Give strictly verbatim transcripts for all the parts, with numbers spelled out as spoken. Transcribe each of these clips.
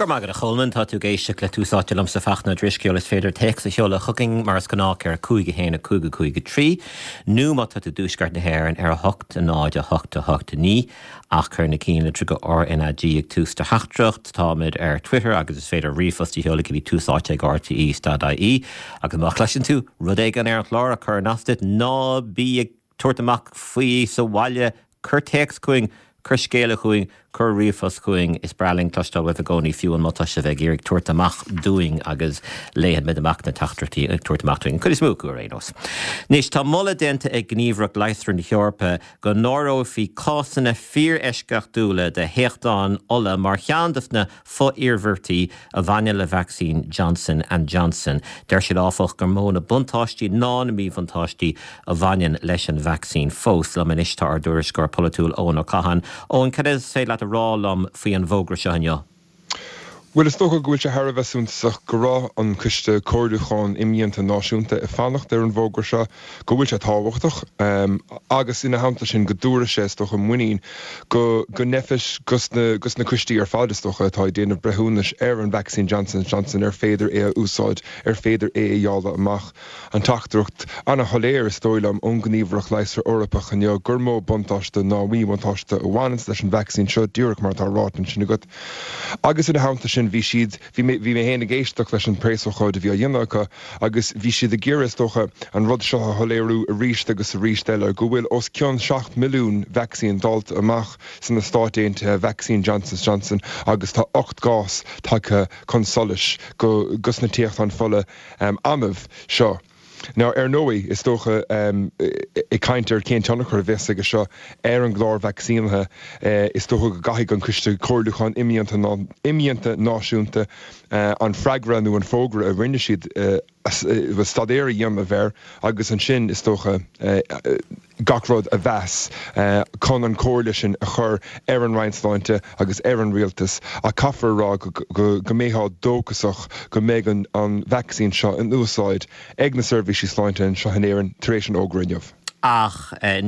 Go raibh maith agat a Cholmáin tá tú ag éisteacht le Tús Áite liomsa Fachtna Ó Drisceoil is féidir téacs a sheoladh chugainn mar is gnách ar cúig a haon a cúig a cúig a trí, nó má tá tú i dtuaisceart na hÉireann ar a hocht a náid a hocht a hocht a naoi ach cuir na ceannlitreacha RnaG ag tús do theachtaireacht táimid ar Twitter agus is féidir ríomhphost a sheoladh go dtí tús áite ag RTÉ dot IE agus má chloiseann tú rud éigin ar an chlár a chuireann as duit ná bí ag tabhairt amach faoi sa bhaile cuir téacs chugainn cuir scéala chugainn cuir ríomhphost chugainn is breá linn cloisteáil uaibh i gcónaí fiú má tá sibh ag iarraidh tabhairt amach dúinn agus léifimid amach na teachtaireachtaí ag tabhairt amach dúinn. Cuid is mó acu ar aon nós. Anois tá moladh déanta ag Gníomhaireacht Leigheasra na hEorpa go n-áireofaí cásanna fíoreisceachtúla de théachtáin fhola mar cheann de na fo-iarmhairtí a bhaineann le vacsaín Johnson and Johnson. Deir siad áfach gur mó na buntáistí ná na míbhuntáistí a bhaineann leis an vacsaín fós. Liom anois tá ár dtuairisceoir polaitiúil Eoin Ó Catháin. Eoin cad is féidir leat a rá liom faoi an bhfógra seo inniu. Well is dócha go bhfuil sé thar a bheith suntasach go raibh an coiste comhairliúcháin imdhíonta náisiúnta ag fanacht ar an bhfógra seo, go bhfuil sé tábhachtach agus ina theannta sin go dtabharfaidh sé is dócha muinín go go ndeifis gus na gus na coistí ar fad is dócha atá ag déanamh breithiúnais ar an vacsaín Johnson Johnson ar féidir é a úsáid ar féidir é a dháileadh amach. An teachtaireacht an-shoiléir is dóigh liom ón Ghníomhaireacht Leigheasra Eorpach inniu gur mó buntáiste ná míbhuntáiste a bhaineann leis an vacsaín seo díreach mar atá ráite ansin agat. Agus ina theannta sin bhí siad bhí mé bhí mé féin ag éisteacht leis an bpreasócáid a bhí á dhéanamh acu agus bhí siad ag iarraidh is dócha an rud seo a shoiléiriú arís agus arís eile go bhfuil os cionn seacht milliún vacsaín dáilte amach sna Stáit Aontaithe vacsaín Johnson Johnson agus tá ocht gcás tagtha chun solais go gus na téachtáin fola um, annamh seo. Now ar ndóigh is dócha um, ag caint ar cén tionchar a bheas aige seo ar an gclár vacsaínithe uh, is dócha go gcaithfidh an coiste comhairliúcháin imdhíonta náisiúnta uh, an freagra nó an fógra a rinne siad uh, staidéar a dhéanamh air agus ansin is dócha gach rud a mheas chun an chomhairle sin a chur ar an Roinn Sláinte agus ar an rialtas a caithfear rá go mbeifeá dóchasach go mbeidh an, an vacsaín seo in úsáid ag na seirbhísí sláinte anseo in Éirinn tar éis an fhógra inniu. ach eh,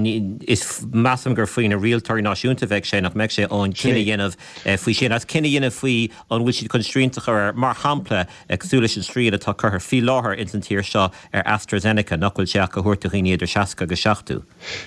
is measaim gur faoi na rialtóirí náisiúnta bheidh sé nach mbeidh sé an cinneadh a dhéanamh eh, faoi sin as cinneadh a dhéanamh faoi an bhfuil siad chun srianta a chur air mar shampla cosúil leis an srian atá curtha faoi láthair ins an tír seo ar AstraZeneca nach bhfuil sé ach á thabhairt do dhaoine idir seasca agus seachtó.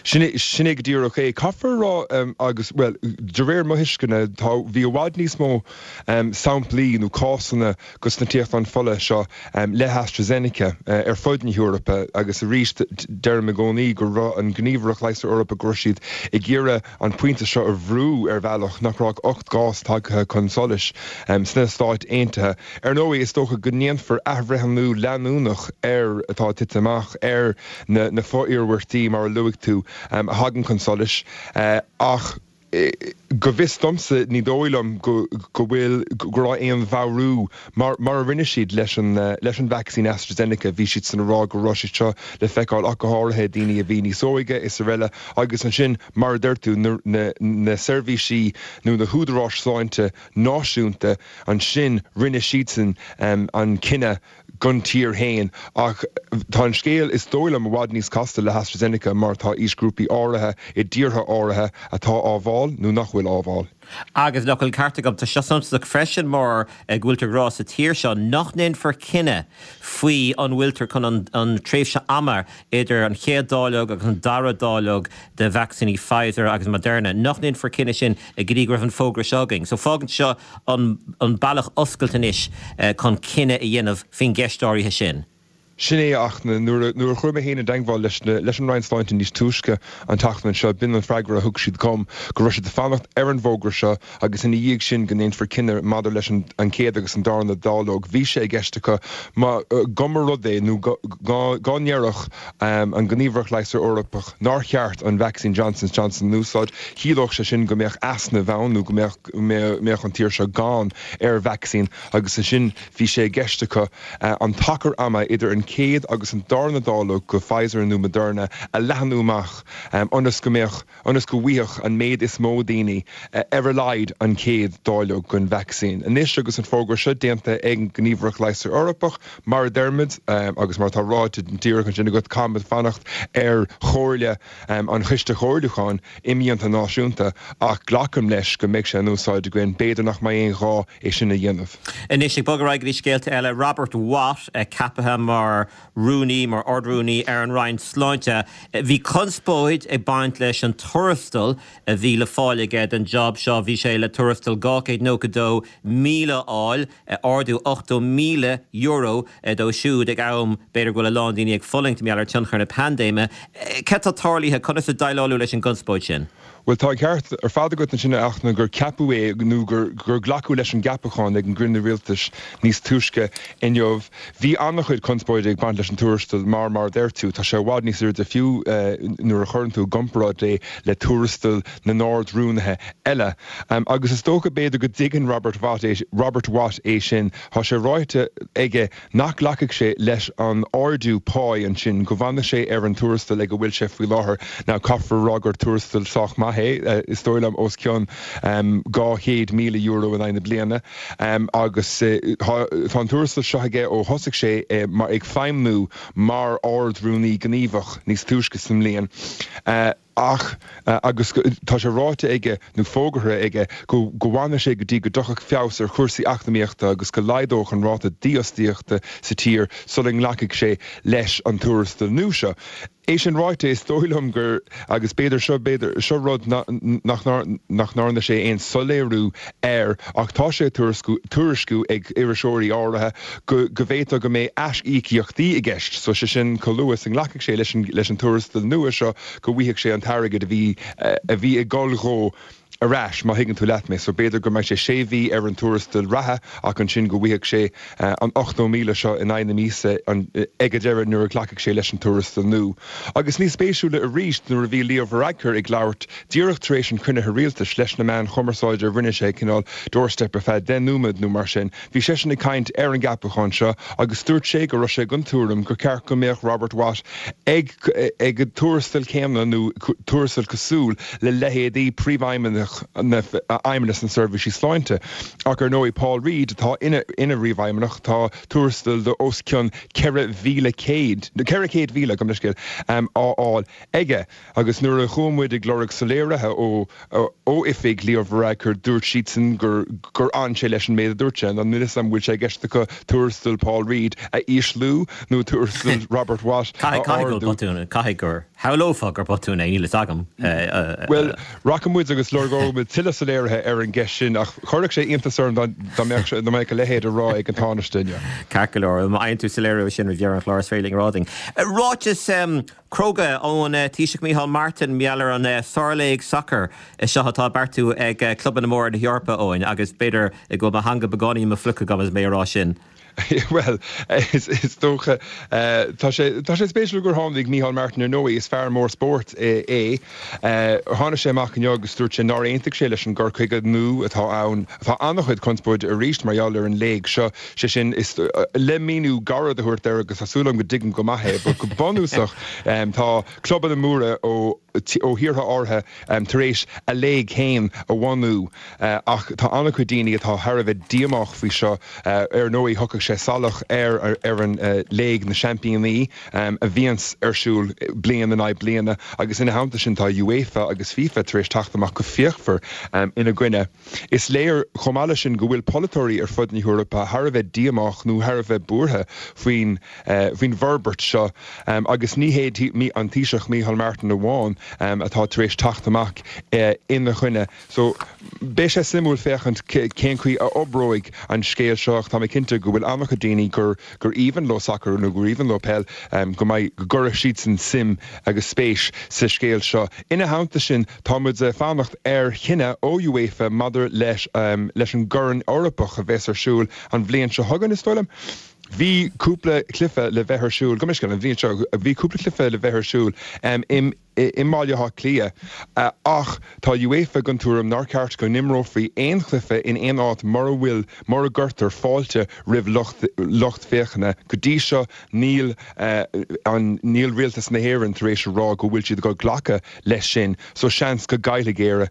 Sin sin é go díreach é caithfear rá um, agus well de réir mo thuisceana tá bhí i bhfad níos mó um, samplaí nó cásanna gus na téachtáin fola seo um, le AstraZeneca uh, ar fud na hEorpa agus arís deirim i gcónaí go raibh an Ghníomhaireacht Leigheasra Eorpach go raibh siad ag iarraidh an pointe seo a bhrú ar bhealach nach raibh ocht gcás tagtha chun solais um, sna Stáit Aontaithe. Ar ndóigh is dócha go ndéanfar athbhreithniú leanúnach ar atá tite amach ar na, na fo-iarmhairtí mar a luaigh tú um, a thagann chun solais uh, ach go bhfios domsa ní dóigh liom go go bhfuil go raibh aon mheabhrú mar mar a rinne siad leis an leis an vacsaín AstraZeneca bhí siad san rá go raibh siad seo le feiceáil ach go háirithe daoine a bhí níos óige is araile agus ansin mar a deir tú na, na, na seirbhísí nó na húdaráis sláinte náisiúnta ansin rinne siadsan um, an cinneadh don tír féin ach tá an scéal is dóigh liom i bhfad níos casta le AstraZeneca mar tá aoisghrúpaí áirithe i dtíortha áirithe atá á bhfáil nó nach bhfuil á bhfáil. Agus nach bhfuil ceart agam tá seo suntasach freisin mar go bhfuiltear ag rá sa tír seo nach ndéanfar cinneadh faoi an bhfuiltear chun an, an tréimhse ama idir an chéad dáileog agus an dara dáileog de vacsaíní Pfizer agus Moderna, nach ndéanfar cinneadh sin go dtí go raibh an fógra seo againn. So fágann seo an, an bealach oscailte anois eh, chun cinneadh a dhéanamh faoin gceist áirithe sin. Sin é ach nuair a chuir mé féin i dteagmháil leis leis an Roinn Sláinte níos túisce an tseachtain seo b'in an freagra a thug siad dom go raibh siad ag fanacht ar an bhfógra seo agus ina dhiaidh sin go ndéanfar cinneadh maidir leis an an chéad agus an darna dáileog. Bhí sé i gceist acu má go mba rud é nó go ndéarfadh an Ghníomhaireacht Leigheasra Eorpach nár cheart an vacsaín Johnson Johnson a úsáid, chiallódh sé sin go mbeadh easnamh ann nó go mbeadh mbeadh an tír seo gann ar vacsaín agus sin bhí sé i gceist acu an t-achar ama idir an chéad agus an darna dáileog de Pfizer nó Moderna a leathnú amach ionas go mbeadh ionas go bhfaigheadh an méid is mó daoine ar a laghad an chéad dáileog den vacsaín. Anois agus an fógra seo déanta ag an nGníomhaireacht Leighis Eorpach mar a deirimid agus mar atá ráite díreach ansin agat caithfimid fanacht ar chomhairle an Choiste Chomhairliúcháin Imdhíonta Náisiúnta ach glacaim leis go mbeidh sé in úsáid againn, b'fhéidir nach mbeidh aon ghá é sin a dhéanamh. Anois ag bogadh ar aghaidh go dtí scéalta eile, Robert Watt ceaptha mar rúnaí, mar Ard-Rúnaí ar an Roinn Sláinte. Bhí conspóid ag baint leis an tuarastal a bhí le fáil aige don job seo. Bhí sé le tuarastal dhá chéad nócha dó míle a fháil, ardú ochtó míle euro dó siúd ag am b'fhéidir go bhfuil a lán daoine ag fulaingt mar gheall ar tionchar na paindéime. Cad tá tarlaithe, conas a déileáladh leis an gconspóid sin? Bhuel, tá an ceart ar fad agat ansin a Fhachtna gur ceapadh é nó gur gur glacadh leis an gceapachán ag an gcruinniú rialtais níos túisce inniu. Bhí an-chuid conspóide ag baint leis an tuarastal mar mar a deir tú, tá sé i bhfad níos airde fiú nuair a chuireann tú i gcomparáid é le tuarastal na n-ard-rúnaithe eile. Agus is dócha b'fhéidir go dtuigeann Robert Watt é Robert Watt é sin. Tá sé ráite aige nach nglacfaidh sé leis an ardú páí ansin, go bhfanfaidh sé ar an tuarastal ag a bhfuil sé faoi láthair. Now caithfear a rá gur tuarastal sách maith é, is dóigh liom os cionn dhá chéad míle euro in aghaidh na bliana agus tá an tuarastal seo aige ó thosaigh sé ag feidhmiú mar Ard-Rúnaí Gníomhach níos túisce sa mbliain. Ach agus tá sé ráite aige nó fógartha aige go go bhfanfaidh sé go dtí go dtiocfadh feabhas ar chúrsaí eacnamaíochta agus go laghdódh an ráta dífhostaíochta sa tír sula nglacfaidh sé leis an tuarastal nua seo. É sin ráite, is dóigh liom gur, agus b'fhéidir seo, b'fhéidir, seo rud nach nach ndearna sé aon soiléiriú air ach tá sé á tuairisciú ag iriseoirí áirithe go go bhféadfadh go mbeidh aisíocaíochtaí i gceist. So sé sin chomh luath is a nglacfaidh sé leis an leis an tuarastal nua seo go bhfaighidh sé an t-airgead a bhí a bhí ag dul dhó ar ais, má thuigeann tú leat mé. So b'fhéidir go mbeidh sé sé mhí ar an tuarastal reatha ach ansin go bhfaighidh sé an ochtó míle seo in aghaidh na míosa ag an deireadh nuair a ghlacfaidh sé leis an tuarastal nua. Agus níos spéisiúla arís nuair a bhí Leo Varadkar ag labhairt díreach tar éis an chruinnithe rialtais leis na meáin chumarsáide rinne sé cineál doorstep ar feadh deich nóiméad nó mar sin, bhí seisean ag caint ar an gceapachán seo agus dúirt sé go raibh sé den tuairim gur ceart go mbeadh Robert Watt ag ag an tuarastal céanna nó tuarastal cosúil le leithéidí príomhfheidhmeannach na Fheidhmeannas na Seirbhísí Sláinte. Ach ar ndóigh Paul Reid atá ina ina ríomhfheidhmeannach tá tuarastal de os cionn ceithre mhíle céad ceithre chéad mhíle gabh mo leithscéal á fháil aige. Agus nuair a chuaigh muid ag lorg soiléirithe ó ó oifig Leo Varadkar dúirt siadsan gur gur fhan sé leis an méid a dúirt sé. Níl a fhios agam an bhfuil sé i gceist acu tuarastal Paul Reid a ísliú nó tuarastal Robert Watt a ardú. Caithfidh gur shamhlófá gur botún é, níl a fhios agam. Bhuel, rachaidh muid agus lorgóidh muid tuilleadh soiléirithe ar an gceist sin ach chuirfeadh sé iontas orm dá mbeadh dá mbeadh a leithéid á rá ag an Tánaiste inniu. Ceart go leor, má fhaigheann tú soiléiriú sin roimh dheireadh an chláir is féidir linn a rá dúinn. Ráiteas cróga ón Taoiseach Micheál Martin mar gheall ar an sárléig sacair seo atá beartaithe ag clubanna móra na hEorpa Eoin agus b'fhéidir go bhfuil mo theanga beagáinín i mo phluic agam agus mé ag rá sin. Bhuel, is dócha, tá sé tá sé spéisiúil gur tháinig Micheál Martin ar ndóigh, is fear mór spóirt é. Tháinig sé amach inniu agus dúirt sé nár aontaigh sé leis an gcur chuige nua atá ann. Tá an-chuid conspóide arís mar gheall ar an léig seo, sé sin is le míniú gairid a thabhairt air agus tá súil agam go dtuigim go maith é, but go bunúsach tá clubanna móra ó ó thíortha áirithe tar éis a léig féin a bhunú ach tá an-chuid daoine atá thar a bheith díomách faoi seo. Ar ndóigh thiocfadh sé salach ar ar an Léig na Seaimpíní a bhíonns ar siúl bliain in aghaidh bliana agus ina theannta sin tá UEFA agus FIFA tar éis teacht amach go fíochmhar ina gcoinne. Is léir chomh maith leis sin go bhfuil polaiteoirí ar fud na hEorpa thar a bheith díomách nó thar a bheith buartha faoin faoin bhforbairt seo agus ní hé an Taoiseach Micheál Martin amháin atá tar éis teacht amach ina choinne. So beidh sé suimiúil féachaint cén chaoi a oibreoidh an scéal seo ach tá mé cinnte go bhfuil an-chuid daoine gur gur aoibhinn leo sacar nó gur aoibhinn leo peil go mbeidh go gcuirfidh siadsan suim agus spéis sa scéal seo. Ina theannta sin tá muid ag fanacht ar chinneadh ó UEFA maidir leis leis an gCorn Eorpach a bheas ar siúl an bhliain seo chugainn, is dóigh liom. Bhí cúpla cluiche le bheith ar siúl, gabh mo leithscéal, an bhliain seo, bhí cúpla cluiche le bheith ar siúl i i mBaile Átha Cliath ach tá UEFA den tuairim nár cheart go n-imreofaí aon chluiche in aon áit mura bhfuil mura gcuirtear fáilte roimh lucht lucht féachana. Go dtí seo níl an níl rialtas na hÉireann tar éis a rá go bhfuil siad ag glacadh leis sin so seans go gcaillfidh Éire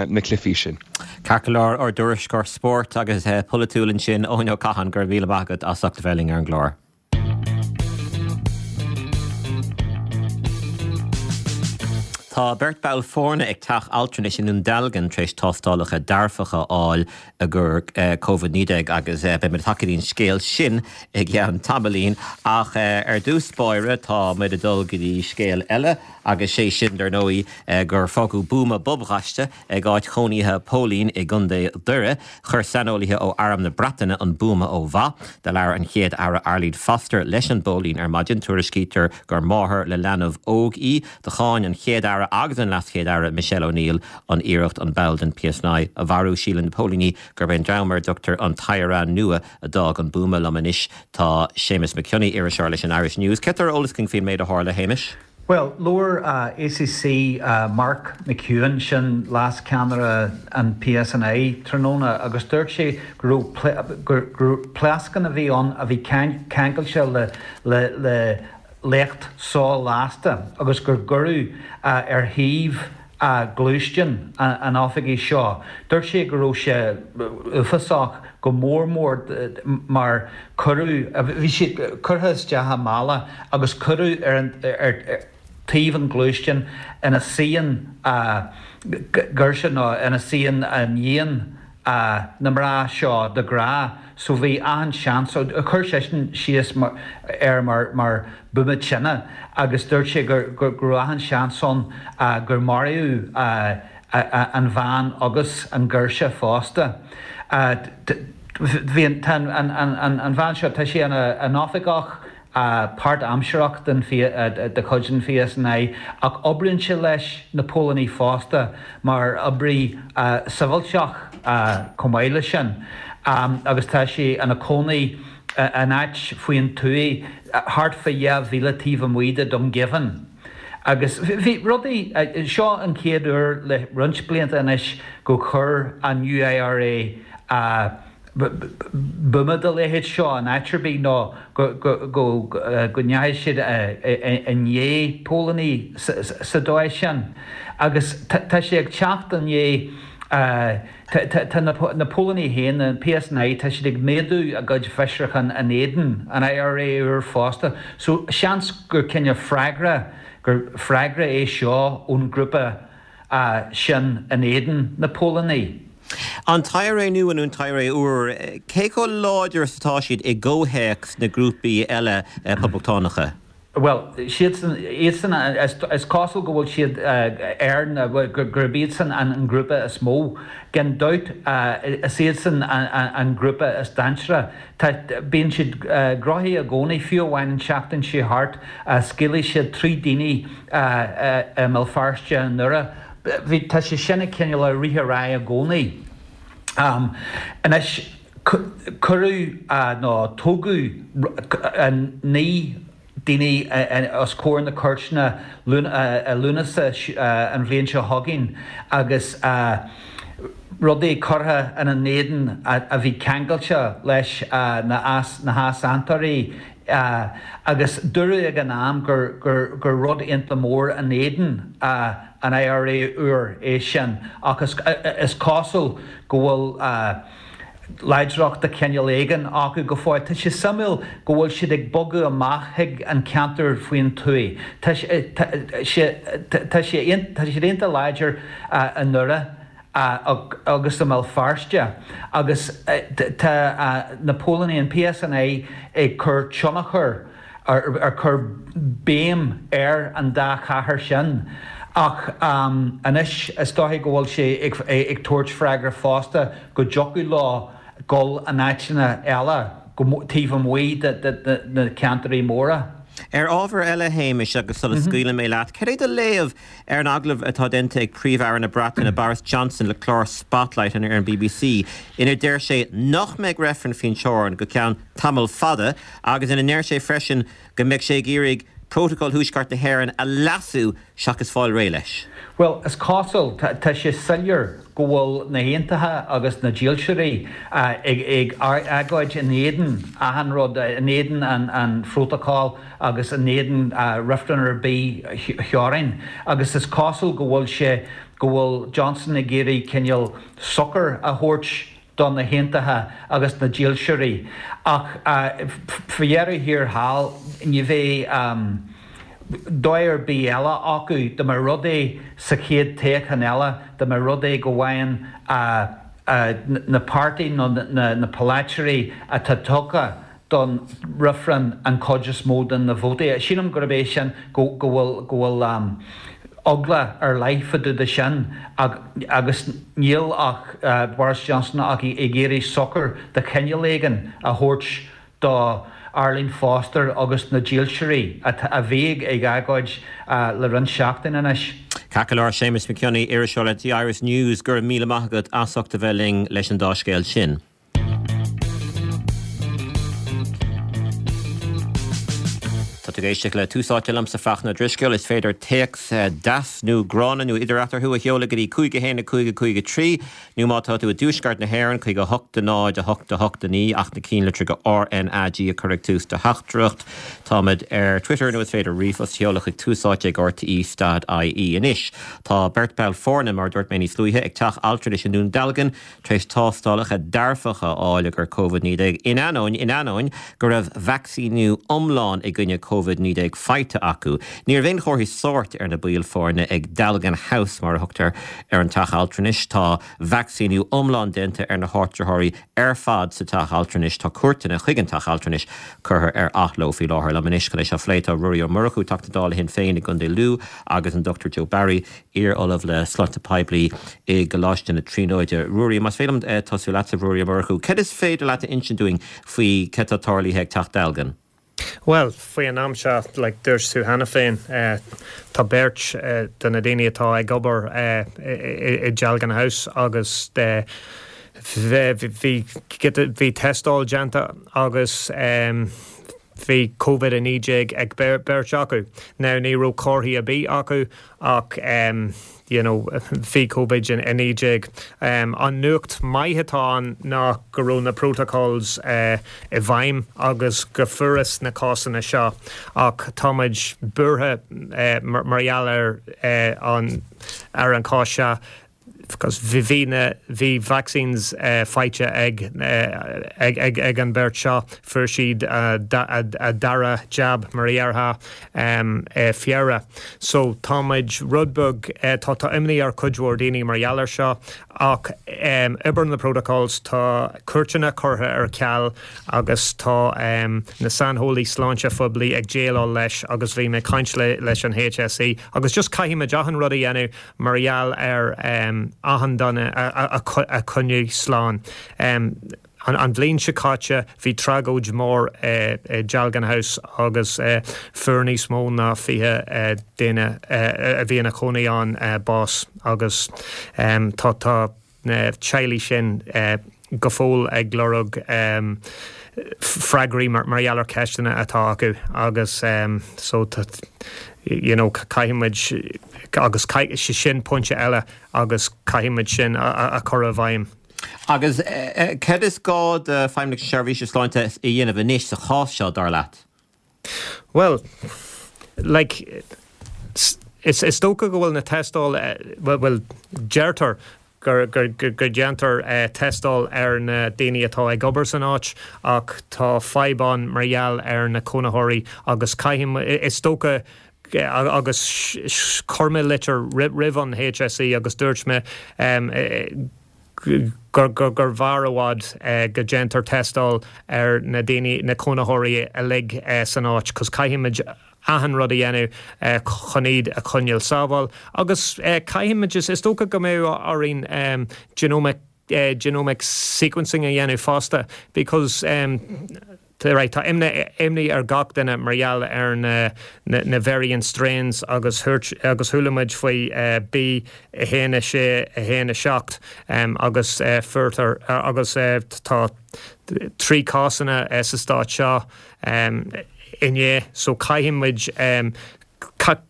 na cluichí sin. Ceart go leor ár dtuairisceoir spóirt agus polaitiúil ansin Eoin Ó Catháin go raibh míle maith agat as ucht a bheith linn ar an gclár. Tá beirt ball foirne ag teach altranais i nDún Dealgan tar éis tástálacha dearfacha a fháil i gcomhair Covid naoi déag agus beidh muid ag teacht go dtí an scéal sin i gceann tamaillín. Ach ar dtús báire tá muid ag dul go dtí scéal eile agus sé sin dar ndóigh gur fágadh buama bobghaiste ag áit chónaithe póilín i gContae Dhoire. Chuir saineolaithe ó Arm na Breataine an buama ó mhaith. Do labhair an Chéad Aire Arlene Foster leis an bpóilín ar maidin. Tuairiscítear gur máthair le leanbh óg í. Do cháin an Chéad Aire agus an LeasChéad Aire Michelle O'Neill an iarracht an ball den PSNI a mharú. Síleann na póilíní gurb é an dream ar a dtugtar an tIRA Nua a d'fhág an buama. Liom anois tá Séamus Mac Cionnaith, iriseoir leis an Irish News. Céard atá ar eolas againn faoin méid a tharla, a Shéamais? Bhuel, labhair ACC Mark McEwan, sin leascheannaire an PSNI, tráthnóna agus dúirt sé go raibh pléascán a bhí ann a bhí ceangailte le le léacht so-lasta agus gur cuireadh ar thaobh gluaisteán an oifigigh seo. Dúirt sé go raibh sé uafásach go mór mór mar cuireadh, bhí sé curtha isteach i mála agus cuireadh ar an ar taobh an ghluaisteáin ina suíonn girseach nó ina suíonn iníon na mná seo de ghnáth so bhí achan seans, chuir seisean síos air mar buama tine agus dúirt sé go raibh achan seans ann gur maraíodh an bhean agus an ghirseach fosta. Bhí an an bhean seo, tá sí ina oifigeach páirtaimsearach de chuid an PSNI ach oibríonn sí leis na póilíní fosta mar oibrí sibhialtach chomh maith leis sin agus tá sí ina cónaí in áit faoin tuath thart fá dhá mhíle taobh amuigh de Dungiven. Agus bhí rudaí, seo an chéad uair le roinnt blianta anois go chuir an New IRA buama dá leithéid seo in áit ar bith nó go ndeachaigh siad i ndiaidh póilíní sa dóigh sin. Agus tá sé ag teacht i ndiaidh, tá na póilíní féin, an PSNI, tá siad ag méadú a gcuid fiosrúchán in éadan an IRA úr fosta. So seans gur cineál freagra, gur freagra é seo ón ngrúpa sin in éadan na póilíní. An tIRA nua nó an tIRA úr, cé chomh láidir is atá siad i gcomhthéacs na ngrúpaí eile poblachtánacha? Bhuel, siadsan, iadsan, is cosúil go bhfuil siad ar na, gurb iadsan an grúpa is mó. Gan dabht, is iadsan an grúpa is dainséaraí. Tá, bíonn siad gnóthach i gcónaí, fiú amháin an tseachtain seo thart, scaoileadh siad trí daoine i mBéal Feirste i nDoire. Bhí, tá sé sin ag cineál ag rith ar aghaidh i gcónaí. Anois, cuireadh nó tógadh naoi daoine os comhair na cúirteanna i Lúnasa an bhliain seo chugainn agus rudaí curtha ina n-éadan a bhí ceangailte leis na heasaontóirí agus dúradh ag an am gur rud iontach mór in éadan an IRA úr é sin ach is cosúil go bhfuil láidreacht de chineál éigin acu go fóill. Tá sé suimiúil go bhfuil siad ag bogadh amach chuig an ceantar faoin tuath. Tá siad iontach láidir i nDoire agus i mBéal Feirste agus tá na póilíní, an PSNI, ag cur tionchar, ag cur béim ar an dá chathair sin. Ach anois is dóichí go bhfuil sé ag tabhairt freagra fosta go dtiocfadh leo dul in áiteanna eile taobh amuigh de na ceantair mhóra. Ar ábhar eile, a Shéamais, agus sula scaoileann mé leat, cad é do léamh ar an agallamh atá déanta ag Príomh-Aire na Breataine, Boris Johnson, le clár Spotlight ar an bbc, ina deir sé nach mbeidh reifreann faoin teorainn go ceann tamall fada agus ina ndeir sé freisin go mbeidh sé ag iarraidh Prótacal Thuaisceart na hÉireann a leasú seachas fáil réidh leis? Bhuel, is cosúil, tá sé soiléir go bhfuil na hAontaithe agus na Dílseoirí ag agóid in éadan achan rud, in éadan an phrótacail agus in éadan reifreann ar bith theorainn. Agus is cosúil go bhfuil sé, go bhfuil Johnson ag iarraidh cineál sochar a thabhairt do na hAontaithe agus na Dílseoirí. Ach faoi dheireadh thiar thall, ní bheidh dóigh ar bith eile acu dá mba rud é sa chéad toghchán eile, dá mba rud é go bhfaigheann na páirtí nó na polaiteoirí atá tugtha don reifreann an chuid is mó de na vótaí. Sílim gurb é sin go bhfuil go bhfuil eagla ar leith fá dtaobh de sin agus níl ach Boris Johnson ach ag iarraidh sochar de chineál éigin a thabhairt do Arlene Foster agus na Dílseoirí a bhí ag agóid le roinnt seachtain anois. Ceart go leor, Séamus Mac Cionnaith, iriseoir le The Irish News, go raibh míle maith agat as ucht a bheith linn leis an dá scéal sin. Tá tú ag éisteacht le Tús Áite liomsa Fachtna Ó Drisceoil. Is féidir téacs deas nó gránna nó idir eatarthu a sheoladh go dtí cúig a haon a cúig a cúig a trí nó má tá tú i dtuaisceart na hÉireann chuig a hocht a náid a hocht a hocht a naoi ach na cinnlitreacha R N A G a chur ag tús do theachtaireacht. Táimid ar Twitter nó is féidir ríomhphost a sheoladh chuig túsáite ag R T E stad I E. Anois tá beirt ball foirne, mar a dúirt mé níos luaithe, ag teach altranais i nDún Dealgan tar éis tástálacha dearfacha a fháil ar Covid naoi déag in ainneoin in ainneoin go raibh vacsaíniú iomlán i gcoinne Covid naoi déag faighte acu. Ní raibh aon chomharthaí sóirt ar na baill foirne ag Dealgan House, mar a thugtar ar an teach altranais. Tá vacsaíniú iomlán déanta ar na háitritheoirí ar fad sa teach altranais. Tá cuairteanna chuig an teach altranais curtha ar athló faoi láthair. Liom anois chun é seo a phlé tá Ruairí Ó Murchú, Teachta Dála Shinn Féin i gContae Lú agus an Dochtúir Joe Barry, iar-ollamh le sláinte poiblí i gColáiste na Tríonóide. Ruairí, más féidir liom tosú leatsa, Ruairí Ó Murchú, cad is féidir leat a insint dúinn faoi cad tá tarlaithe ag Teach Dealgan? Bhuel, faoi an am seo, like, dúirt tú cheana féin, tá beirt de na daoine atá ag obair i Dealgan House agus bhí bhí tástáil déanta agus bhí Covid a naoi déag ag beirt acu. Now ní raibh comharthaí ar bith acu ach you know, bhí Covid a naoi déag. An nuacht maith atá ann ná go raibh na protocols i bhfeidhm agus go fuarthas na cásanna seo ach táimid buartha mar gheall ar an ar an cás seo because bhí na bhí vaccines faighte ag ag ag ag an beirt seo, fuair siad a dara jab mar a déarfá Feabhra. So táimid rud beag tá tá imní ar cuid mhór daoine mar gheall air seo ach oibríonn na protocols tá cuairteanna curtha ar ceal agus tá na saineolaí sláinte phoiblí ag déileáil leis agus bhí mé ag caint le leis an H S E agus just caithfimid achan rud a dhéanamh mar gheall ar achan duine a choinneáil slán. An bhliain seo caite bhí tragóid mór i Dealgan House agus fuair níos mó ná fiche duine a bhí ina chónaí ann bás agus tá tá na teaghlaigh sin go fóill ag lorg freagraí mar gheall ar ceisteanna atá acu agus so you know caithfimid agus sin pointe eile agus caithfimid sin a chur i bhfeidhm. Agus cad is gá do Feidhmeannacht na Seirbhíse Sláinte a dhéanamh anois sa chás seo dar leat? Well, like, is, is dócha go bhfuil na tástáil well, well deirtear gur, gur, gur, gur déantar uh, tástáil ar na daoine atá ag obair san áit ach tá fadhb ann mar gheall ar na cónaitheoirí agus caithfidh is dócha agus chuir mé litir roimh an H S E agus dúirt mé um, gur gur gur bhfearr i bhfad uh, go déantar tástáil ar na daoine na cónaitheoirí uilig uh, san áit, cos caithfimid achan rud a dhéanamh uh, chun iad a choinneáil sábháilte agus uh, caithfimid is dócha go mbeidh orainn um, genomic uh, genomic sequencing a dhéanamh fosta because um, right, tá imní ar gach duine mar gheall ar na, na, na variant strains agus agus chuala muid faoi uh, B a haon sé a haon a seacht um, agus uh, furtar uh, agus uh, tá trí cásanna uh, sa stát seo um, inné so caithfidh muid um,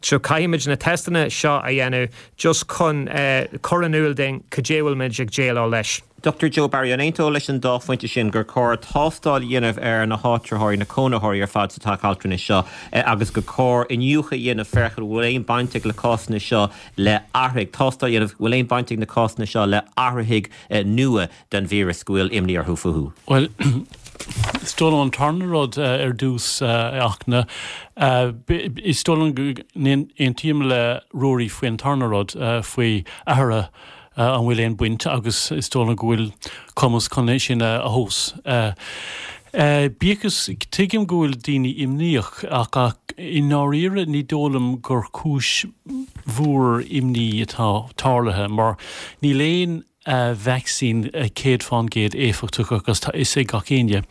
so caithfimid na teisteanna seo a dhéanamh just chun uh, cur in iúl dúinn cad é bhfuil muid ag déileáil leis. Dr Joe Barry an aontófá leis an dá phointe sin gur cóir tástáil a dhéanamh ar na háitritheoirí na cónaitheoirí ar fad sa teach altranais seo eh, agus gur cóir iniúchadh a dhéanamh féachaint bhfuil aon baint ag na cásanna seo le athraigh tástáil a dhéanamh bhfuil aon baint ag na cásanna seo le hathraigh eh, nua den víreas go bhfuil imní orthu fúthu. Well is dóigh an tarna rud uh, ar dtús uh, ach na uh, is dóigh go n-aontaím le Ruairí faoin tarna rud uh, faoi athruithe uh, an bhfuil aon baint agus is dóigh go bhfuil cumas chun é sin a thomhas. Uh, Uh, Bígus tuigim go bhfuil daoine imníoch ach ach i ndáiríre ní dóigh liom gur cúis mhór imní atá tarlaithe mar níl aon uh, vaccine uh, céad faoin gcéad éifeachtach agus tá is ag gach éinne.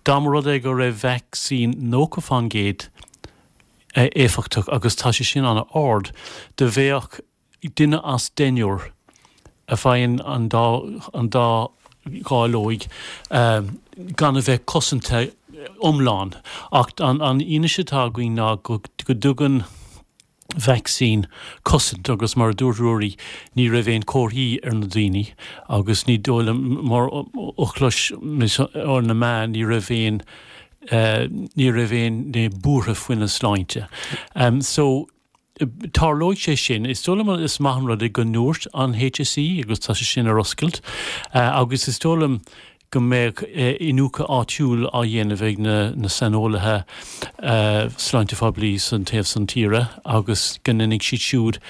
Dá mba rud é go raibh vaccine nócha faoin gcéad uh, éifeachtach agus tá sé sin an-ard do bheadh duine as deichniúr a fhaigheann an dá an dá dháileog um, gan a bheith cosanta iomlán ach an an fhianaise atá againn ná go, go dtugann vaccine cosaint agus mar dúirt Ruairí ní raibh aon chomharthaí ar na daoine agus ní dóigh mar a chlois ar na meáin ní raibh aon uh, ní raibh aon ní buartha faoina sláinte. Um, so tarlóidh sé sin is dóigh liom is maith an rud go ndúirt an HSE agus tá sé sin ar oscailt uh, agus is dóigh liom go mbeidh uh, iniúchadh áitiúil á dhéanamh ag na, na saineolaithe uh, sláinte phoiblí san taobh san tíre agus go ndéanfaidh siad siúd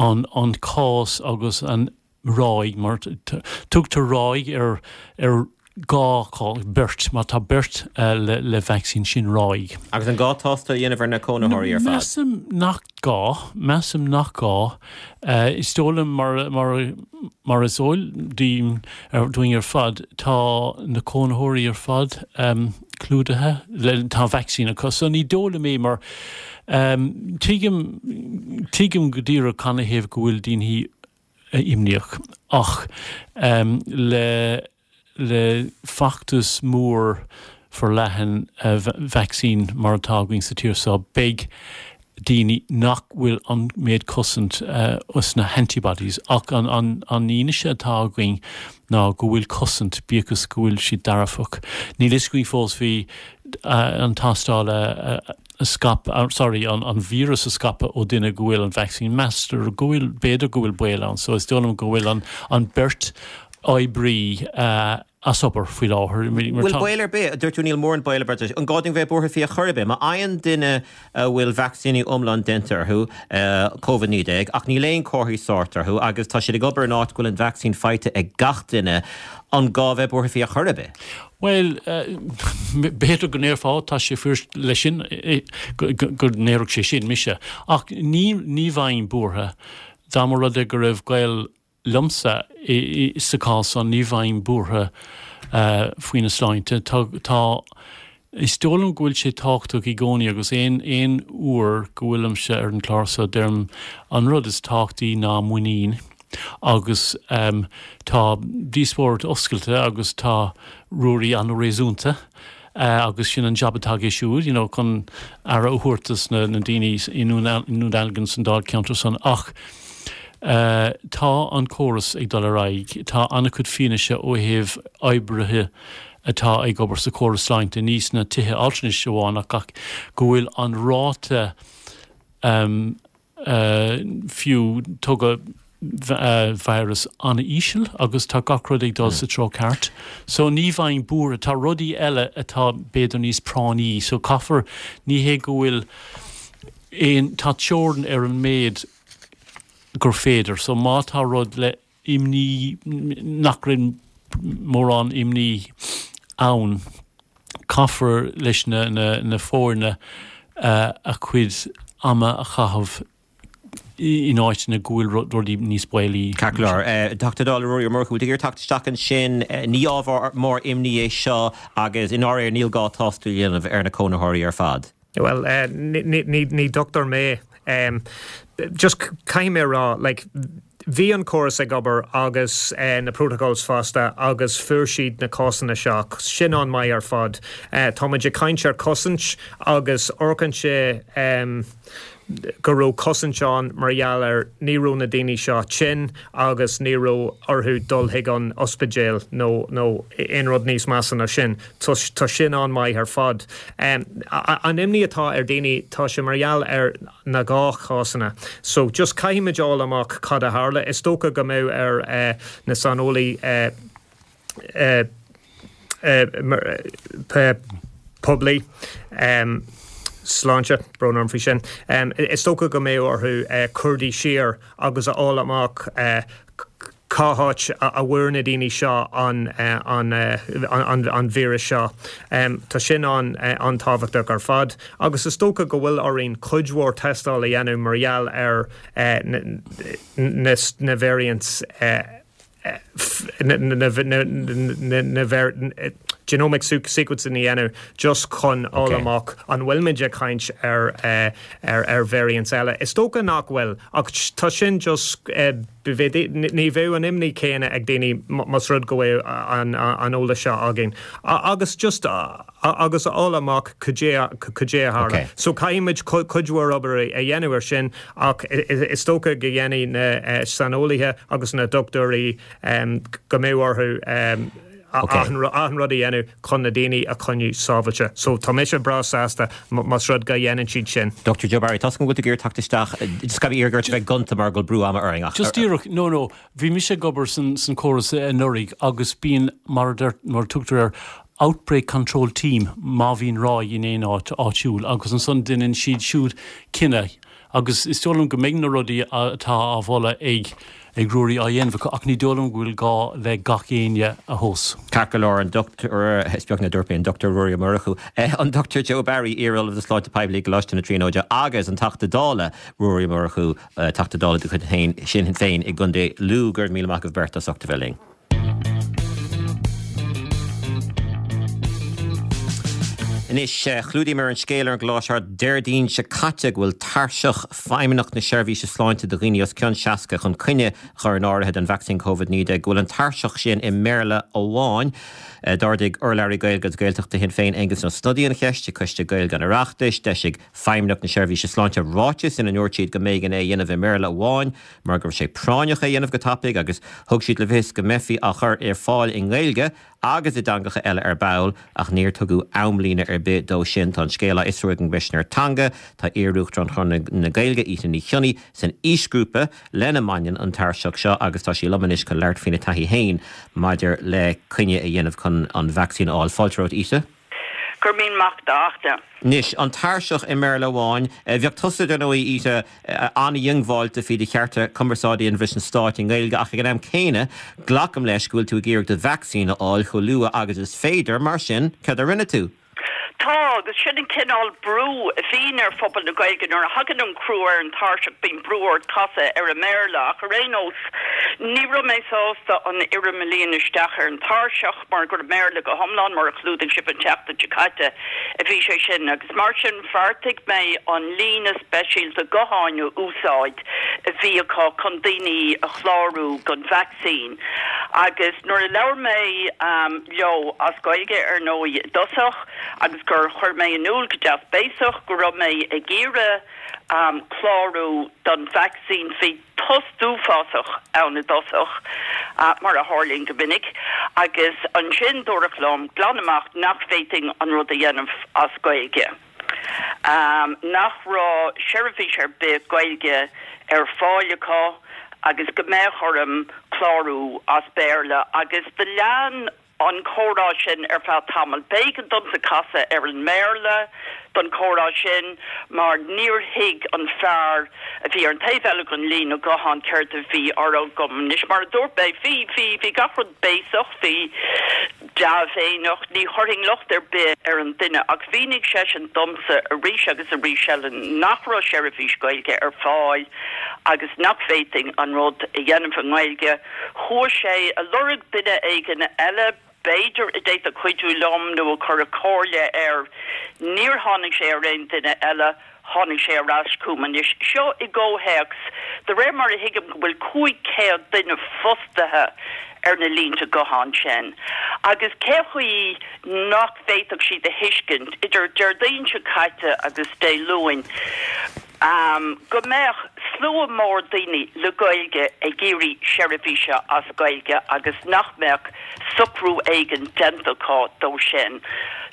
an, an cás agus an ráig mar tugtar ráig ar ar gá beirt má tá beirt uh, le, le vaccine sin ráig. Agus an gá tástáil a dhéanamh ar na cónaitheoirí ar fad. Measaim nach gá, measaim nach gá uh, is dóigh liom mar, mar, mar is eol dúinn ar fad tá na cónaitheoirí ar fad um, clúdaithe le tá vaccine acu so ní dóigh liom é mar um, tuigim tuigim go díreach canathaobh go bhfuil daoine imníoch ach um, le le feachtas mór forleathan uh, vaccine mar atá againn sa tír seo beidh daoine nach bhfuil an méid cosaint uh, us na antibodies ach an, an, an fhianaise atá againn ná go bhfuil cosaint bíodh is go bhfuil siad dearfach. Níl a fhios againn fós bhí uh, an tástáil uh, a scaip uh, sorry an, an vírus a scaipeadh ó duine go bhfuil an vaccine meastar go bhfuil b'fhéidir go bhfuil baol ann, so is dóigh liom go bhfuil an, an beirt oibrí uh, as obair faoi láthair. Bhfuil baol ar bith dúirt tú níl mórán baol ar bith an gá dúinn bheith buartha faoi ar chor ar bith, má fhaigheann duine a bhfuil vacsaíní iomlán déanta orthu Covid naoi déag ach níl aon chomharthaí sóirt orthu agus tá siad ag obair in áit go bhfuil an vacsaín faighte ag gach duine an gá bheith buartha faoi ar chor ar bith. Well b'fhéidir go ndéarfá tá sé fuair leis sin go ndéarfadh sé sin mise ach ní ní bheinn buartha dá mba rud é go raibh gaol liomsa sa chás an ní bheinn buartha uh, faoina sláinte tá, tá is dóigh liom go bhfuil sé tábhachtach i gcónaí agus aon aon uair go bhfuilimse ar an chlár seo deirim an rud is tábhachtaí ná muinín agus um, tá díospóireacht oscailte agus tá Ruairí an-réasúnta. Uh, agus sin an job atá aige siúd, you know, chun aire a thabhairt dos na, na daoine i nDún Dealgan san dáilcheantar san ach Uh, tá an córas ag dul ar aghaidh, tá an-chuid fianaise ó thaobh oibrithe atá ag obair sa chóras sláinte ní sna tithe altranais amháin ach ach go bhfuil an ráta um, uh, fiú tugadh uh, virus an-íseal agus tá gach rud ag dul sa treo ceart. So ní bheinn buartha tá rudaí eile atá b'fhéidir níos práinní, so caithfear ní hé go bhfuil aon tá teorainn ar an méid gur féidir, so má tá rud le imní nach raibh mórán imní ann caithfear leis na, na, na foirne uh, a chuid ama a chaitheamh in áiteanna go bhfuil rudaí níos baolaí. Ceart go leor. Teachta Dála Ruairí Ó Murchú, ag teacht isteach ansin ní ábhar mór imní é seo agus i ndáiríre níl gá tástáil a dhéanamh ar na cónaitheoirí ar fad. Well uh, ní, ní, ní dochtúir mé um, just caithfidh mé rá like, bhí an córas ag obair agus eh, na protocols fosta agus fuair siad na cásanna seo sin an-mhaith ar fad. Eh, Táimid ag caint ar cosaint agus amharcann sé um, go raibh cosaint ann mar gheall ar ní raibh na daoine seo tinn agus ní raibh orthu dul chuig an ospidéal nó nó aon rud níos measa ná sin Tá sin an-mhaith ar fad. Um, an imní atá ar daoine tá sé mar gheall ar na dhá cásanna. So just caithfimid fháil amach cad a tharla is dócha go mbeidh ar uh, na saineolaithe uh, uh, uh, poiblí. Um, sláinte brón orm faoi sin. Um, is dócha go mbeidh orthu uh, cuartú siar agus a fháil amach uh, cá háit a bhfuair na daoine seo an, uh, an, uh, an, an, an víreas seo. Um, tá sin an uh, an-tábhachtach ar fad, agus is dócha go bhfuil orainn cuid mhór tástáil a dhéanamh mar gheall ar uh, na, na, na variants uh, na, na, na, na, na ver, genomic sequencing a dhéanamh just chun fháil amach an bhfuilimid ag caint ar uh, ar ar variants eile. Is dócha nach bhfuil ach tá sin just uh, ní bheadh an imní céanna ag daoine más rud go bhfuil an an eolas seo againn. Agus just agus fháil amach cad é a tharla. So caithfimid cuid mhór obair a dhéanamh ar sin ach is dócha go ndéanfaidh na saineolaithe agus na dochtúirí go mbeidh orthu an rud a dhéanamh chun na daoine a choinneáil sábháilte. So tá mise breá sásta más rud go dhéanann siad sin. Dr. Joe Barry, Tá go gur tacht isteach iar bheith gonta mar go brú ama ar Just díreach no no, bhí mise ag obair san san córas anuraidh agus bíonn mar mar tugtar ar Outbreak Control Team má bhíonn ráig in aon áit áitiúil agus ansan déanann siad siúd cinneadh agus is dóigh liom go mbeidh na rudaí atá á mholadh ag ag Ruairí á dhéanamh ach ní dóigh liom go bhfuil gá le gach éinne a thomhas. Ceart go leor an Dr is beag na dúirt an Dr Ruairí Ó Murchú an Dr Joe Barry iar-Ollamh Sláinte Poiblí i gColáiste na Tríonóide agus an Teachta Dála Ruairí Ó Murchú Teachta Dála de chuid féin Sinn Féin i gContae Lú go raibh míle maith agaibh beirt as ucht a bheith linn. Anois chlúdaíomar an scéal ar an gclár seo Déardaoin seo caite go bhfuil tairseach Feidhmeannacht na Seirbhíse Sláinte do dhaoine os cionn seasca chun coinne a chur in áirithe don vacsaín Covid naoi déag go bhfuil an tairseach sin i mBéarla amháin. D'ardaigh urlabhraí Gaeilge agus Gaeltachta Shinn Féin Aengus Ó Snodaigh an cheist ag Coiste Gaeilge an Oireachtais. D'eisigh Feidhmeannacht na Seirbhíse Sláinte ráiteas ina ndúirt siad go mb'éigean é a dhéanamh i mBéarla amháin mar go raibh sé práinneach é a dhéanamh go tapaidh agus thug siad le fios go mbeifí á chur ar fáil i nGaeilge agus i dteangacha eile ar ball ach níor tugadh amlíne ar bith dó sin. Tá an scéal á fhiosrú ag an gCoimisinéir Teanga, tá iar-Uachtarán Chonradh na Gaeilge, Ita Ní Chionnaith, san aoisghrúpa lena mbaineann an tairseach seo agus tá sí liom anois chun labhairt faoina taithí féin maidir le coinne a dhéanamh chun an vacsaín a fháil. Fáilte romhat, Ita. Go raibh míle maith agat, a Fhachtna. Anois, an tairseach i mBéarla amháin, bheadh tusa, dar ndóigh, Ita, an-dhiongbháilte faoi do chearta cumarsáide a dhéanamh leis an Stát i nGaeilge ach ag an am céanna, glacaim leis go bhfuil tú ag iarraidh do vacsaín a fháil chomh luath agus is féidir, mar sin, cad a rinne tú? Tá, agus sin an cineál brú a bhíonn ar phobal na Gaeilge nuair a thagann an crú ar an tairseach, bíonn brú ort casadh ar an mBéarla. Ach ar aon nós, ní raibh mé sásta an fhoirm a líonadh isteach ar an tairseach mar gur i mBéarla go hiomlán, mar a chlúdaigh sibh an tseachtain seo caite, a bhí sé sin. Agus mar sin, bheartaigh mé an líne speisialta gutháin a úsáid a bhí acu chun daoine a chlárú don vacsaín. Agus nuair a labhair mé leo, as Gaeilge ar ndóigh i dtosach, agus gur chuir mé in iúl go deas béasach go raibh mé ag iarraidh clárú don vacsaín, bhí tost uafásach ann i dtosach, mar a tharlaíonn go minic, agus ansin dúradh liom glan amach nach bhféadfainn an rud a dhéanamh as Gaeilge, nach raibh seirbhís ar bith Gaeilge ar fáil acu agus go mbeadh orm clárú as Béarla agus do lean an comhrá sin ar feadh tamaill. B'éigean domsa casadh ar an mBéarla don chomhrá sin mar níor thuig an fear a bhí ar an taobh eile den líne gutháin céard a bhí á rá agam. Anois, mar a dúirt mé, bhí, bhí, bhí gach rud béasach, bhí dea-mhéineach, ní chuirfinn locht ar bith ar an duine ach mhínigh seisean domsa arís agus arís eile nach raibh seirbhís Gaeilge ar fáil agus nach bhféadfainn an rud a dhéanamh i nGaeilge. Chuaigh sé a lorg duine éigin eile, b'fhéidir a d'fhéadfadh cuidiú liom nó a chuirfeadh comhairle air. Níor tháinig sé ar aon duine eile, tháinig sé ar ais chugam anois. Seo i gcomhthéacs, de réir mar a thuigim, go bhfuil cúig chéad duine fostaithe ar na línte gutháin sin. Agus cé chaoi nach bhféadfadh siad a thuiscint, idir Déardaoin seo caite agus Dé Luain, go mbeadh slua mór daoine le Gaeilge ag iarraidh seirbhíse as Gaeilge agus nach mbeadh socrú éigin déanta acu dó sin.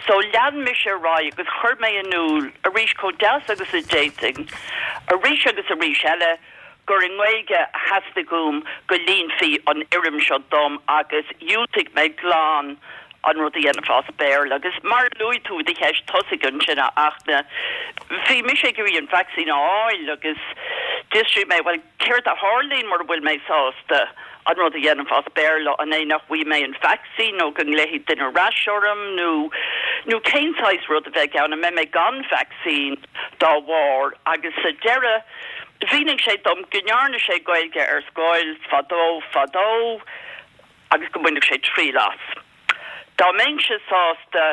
So lean mise ar aghaidh agus chuir mé in iúl arís chomh deas agus a d'fhéadfainn, arís agus arís eile, gur i nGaeilge a theastaigh uaim go líonfaí an fhoirm seo dom agus dhiúltaigh mé glan an rud a dhéanamh as Béarla. Agus mar a luaigh tú i do cheist tosaigh ansin, a Fhachtna, bhí mise ag iarraidh an vacsaín a fháil agus d'fhiosraigh mé, bhuel, céard a tharlaíonn mura bhfuil mé sásta an rud a dhéanamh as Béarla, an é nach bhfaighidh mé an vacsaín nó go nglaofaidh duine ar ais orm nó nó cén saghas rud a bheidh ann, an mbeidh mé gan vacsaín dá bharr? Agus sa deireadh, mhínigh sé dom go ndearna sé Gaeilge ar scoil fadó fadó agus go mbainfeadh sé triail as. Dá mbeinnse sásta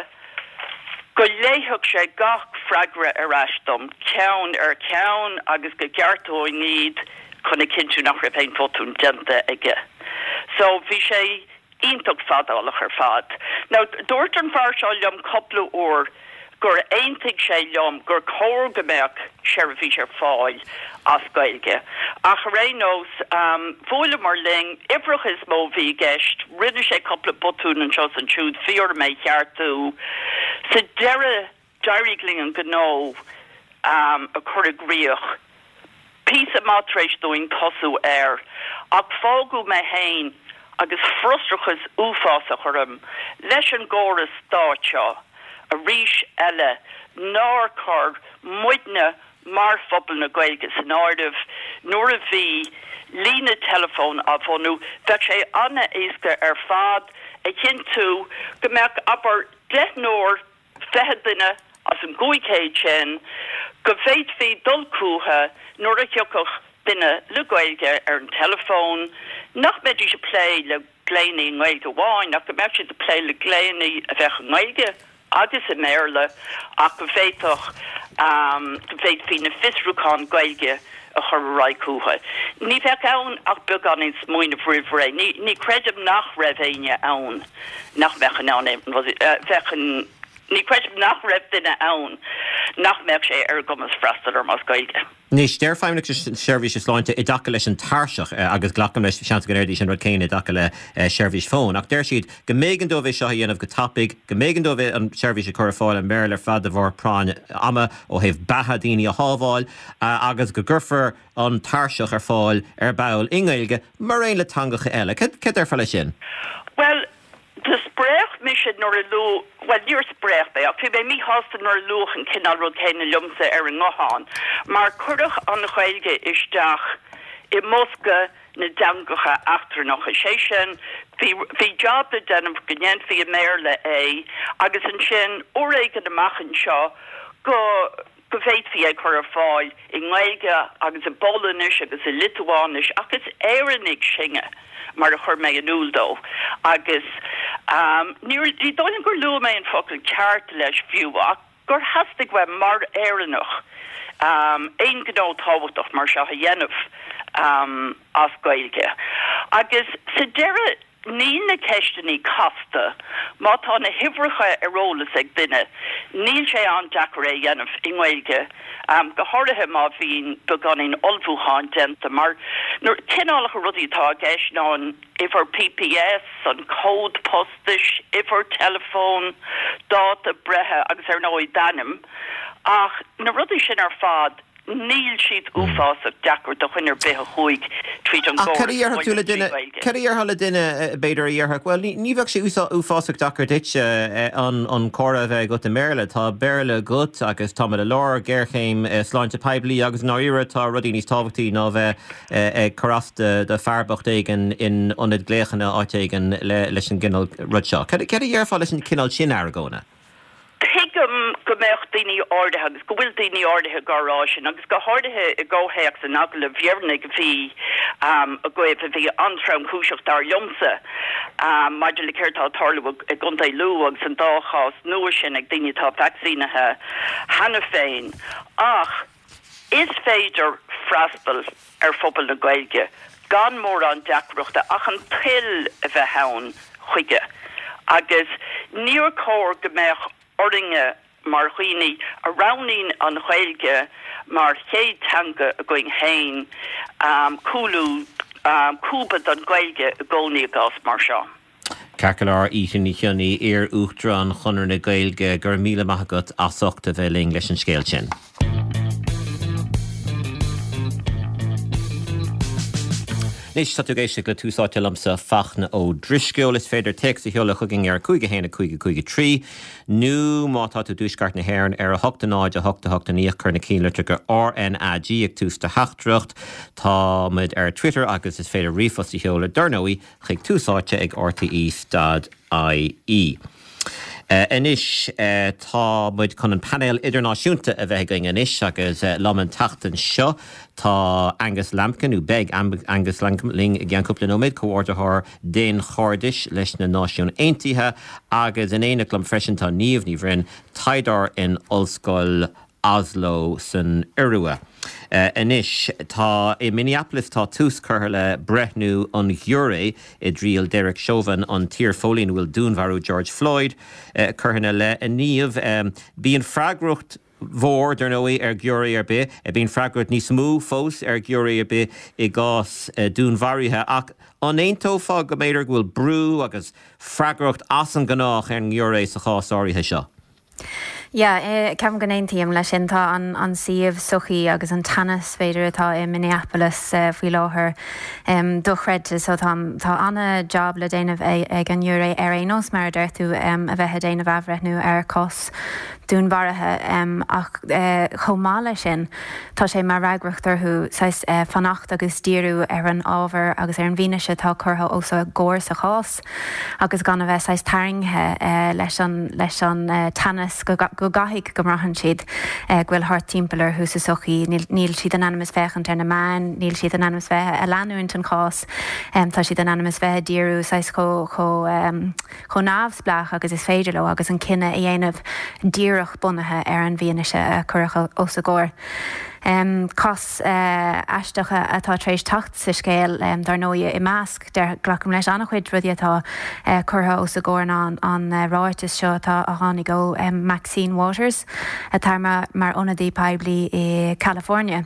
go léifeadh sé gach freagra ar ais dom, ceann ar cheann, agus go gceartóinn iad chun a chinntiú nach raibh aon bhotún déanta aige. So, bhí sé iontach fadálach ar fad. Now, dúirt an fear seo liom cúpla uair gur aontaigh sé liom gur chóir go mbeadh seirbhís ar fáil as Gaeilge. Ach ar aon nós, bhuaileamar linn, uimhreacha is mó a bhí i gceist, rinne sé cúpla botún anseo is ansiúd, bhí orm é a cheartú. Sa deireadh, d'éirigh linn an gnó a chur i gcrích. Píosa maith tar éis dúinn tosú air, ach fágadh mé féin agus frustrachas uafásach orm leis an gcóras stáit seo arís eile nár chuir muidne mar phobal na Gaeilge san áireamh nuair a bhí líne teileafóin á bhunú. Bheadh sé an-éasca ar fad a chinntiú go mbeadh, abair, deichniúr, fiche duine as an gcúig chéad sin go bhféadfaí dul chucu nuair a thiocfadh duine le Gaeilge ar an teileafón, nach mbeidís ag plé le glaonna i nGaeilge amháin ach go mbeadh siad ag plé le glaonna a bheadh i nGaeilge agus i mBéarla ach go bhféadfadh go bhféadfaí na fiosrúcháin Gaeilge a chur ar aghaidh chucu. Ní bheadh ann ach beagáinín smaoineamh roimh ré. Ní ní creidim nach raibh éinne ann nach mbeadh in ann bheadh an ní creidim nach raibh duine ann nach mbeadh sé ar a gcumas freastal orm as Gaeilge. Anois, deir Feidhmeannacht na Seirbhíse Sláinte i dtaca leis an tairseach, agus glacaim leis, seans go ndéarfaidís an rud céanna i dtaca le seirbhís fóin, ach deir siad go mb'éigean dóibh é seo a dhéanamh go tapaidh, go mb'éigean dóibh an tseirbhís a chur ar fáil i mBéarla ar fad de bharr práinn ama ó thaobh beatha daoine a shábháil, agus go gcuirfear an tairseach ar fáil ar ball i nGaeilge mar aon le teangacha eile. Cad déarfá leis sin? Bhuel, Do spréach mise nuair a luadh, bhuel, níor spréach mé, ach bhí mé míshásta nuair a luadh an cineál rud céanna liomsa ar an nguthán, mar cuireadh an Ghaeilge isteach i mbosca na dteangacha eachtrannacha, sé sin, bhí, bhí jab le déanamh go ndéanfaí i mBéarla é agus ansin, uair éigin amach anseo, go. go bhféadfaí é chur ar fáil i nGaeilge agus i bPolainnis agus i Liotuáinis ach is Éireannaigh sinne, mar a chuir mé in iúl dó. Agus ní ní dóigh liom gur luaigh mé an focal ceart leis fiú ach gur theastaigh uaim mar Éireannach aon ghnó tábhachtach mar seo a dhéanamh as Gaeilge. Agus sa deireadh Níl na ceisteanna casta. Má tá na huimhreacha ar eolas ag duine, níl sé an-deacair é a dhéanamh i nGaeilge, go háirithe má bhíonn beagáinín ullmhúcháin déanta, mar na cineálacha rudaí atá i gceist ná an uimhir P P S, an cód postais, uimhir teileafóin, dáta breithe agus ar ndóigh d'ainm. Ach na rudaí sin ar fad, Níl siad uafásach deacair do dhuine ar bith a chuaigh tríd an Ach cad a gcóras dhéarfadh tú scoile le trí duine, Ghaeilge? cad a dhéarfá le duine, b'fhéidir, a dhéarfadh, bhuel, ní, ní bheadh sé uafásach deacair duitse an, an comhrá a bheith agat i mBéarla, tá Béarla agat agus táimid i lár géarchéim sláinte poiblí agus i ndáiríre tá rudaí níos tábhachtaí ná bheith ag cur as do, do fear bocht éigin in ionad glaochanna áit éigin le, leis an gcineál rud seo. Cad, cad a dhéarfá leis an cineál sin argóna? Tuigim go go mbeadh daoine áirithe agus go bhfuil daoine áirithe á rá sin agus go háirithe i gcomhthéacs an agallaimh dheireanaigh a bhí um, agaibh a bhí an-tromchúiseach dar liomsa um, maidir le céard atá ag tarlú i gContae Lú agus an dá chás nua sin ag daoine atá vacsaínithe cheana féin. Ach is féidir freastal ar phobal na Gaeilge gan mórán deacrachta ach an toil a bheith ann chuige. Agus níor chóir go mbeadh orainne mar dhaoine a roghnaíonn an Ghaeilge mar chéad teanga againn féin um, cúlú um, cúbadh don Ghaeilge i gcónaí i gcás mar seo. Ceart go leor Ita Ní Chionnaith iar-Uachtarán Chonradh na Gaeilge go raibh míle maith agat as ucht a bheith linn leis an scéal sin. Anois tá tú ag éisteacht le Tús Áite liomsa Fachtna Ó Drisceoil is féidir téacs a sheoladh chugainn ar cúig a haon a cúig a cúig a trí nó má tá tú i dtuaisceart na hÉireann ar a hocht a náid a hocht a hocht a naoi cuir na ceannlitreacha RnaG ag tús do theachtaireacht. Tá muid ar Twitter agus is féidir ríomhphost a sheoladh dar ndóigh chuig tús áite ag RTE dot IE. Anois tá muid chun an painéal idirnáisiúnta a bheith againn anois agus liom an tseachtain seo tá Angus Lambkin nó beidh Angus Lambkin linn i gceann cúpla nóiméad, comhordaitheoir daonchairdis leis na Náisiúin Aontaithe agus in éineacht liom freisin tá Niamh Ní Bhroin, taighdeoir in Ollscoil Oslo san Iorua. Anois tá i Minneapolis tá tús curtha le breithniú an ghiúiré i dtriail Derek Chauvin an t-iarphóilín a bhfuil dúnmharú George Floyd curtha ina leith. A Niamh, bíonn freagracht mhór dar ndóigh ar ghiúiré ar bith, bíonn freagracht níos mó fós ar ghiúiré ar bith i gcás dúnmharuithe ach an aontófá go mb'fhéidir go bhfuil brú agus freagracht as an ngnách ar an ngiúiré sa chás áirithe seo? Yeah, ceapaim go n-aontaím leis sin tá an, an suíomh sochaí agus an teannas b'fhéidir atá i Minneapolis faoi láthair um, dochreidte so tá tá an-job le déanamh ag an ngiúiré ar aon nós mar a deir tú um, a bheith ag déanamh athbhreithniú ar cás dúnmharaithe um, ach uh, chomh maith leis sin tá sé mar fhreagracht orthu saghas uh, fanacht agus díriú ar an ábhar agus ar an bhfianaise atá curtha os a gcomhair sa chás agus gan a bheith saghas tarraingthe uh, leis an leis an uh, teannas go, go gcaithfidh go mbraitheann siad uh, go bhfuil thart timpeall orthu sa sochaí, níl siad in ainm is féachaint ar na meáin, níl siad in ainm is bheith ag leanúint an chás, um, tá siad in ainm is bheith ag díriú saghas chomh chomh um, chomh neamhspleách agus is féidir leo agus an cinneadh a dhéanamh díreach bunaithe ar an bhfianaise a cuireadh os a gcomhair. Um, cás uh, aisteach atá tar éis teacht sa scéal um, dar ndóigh i measc glacaim leis an-chuid rudaí atá uh, curtha os a gcomhair an, an uh, ráiteas seo atá a tháinig ó um, Maxine Waters atá mar, mar ionadaí poiblí i California.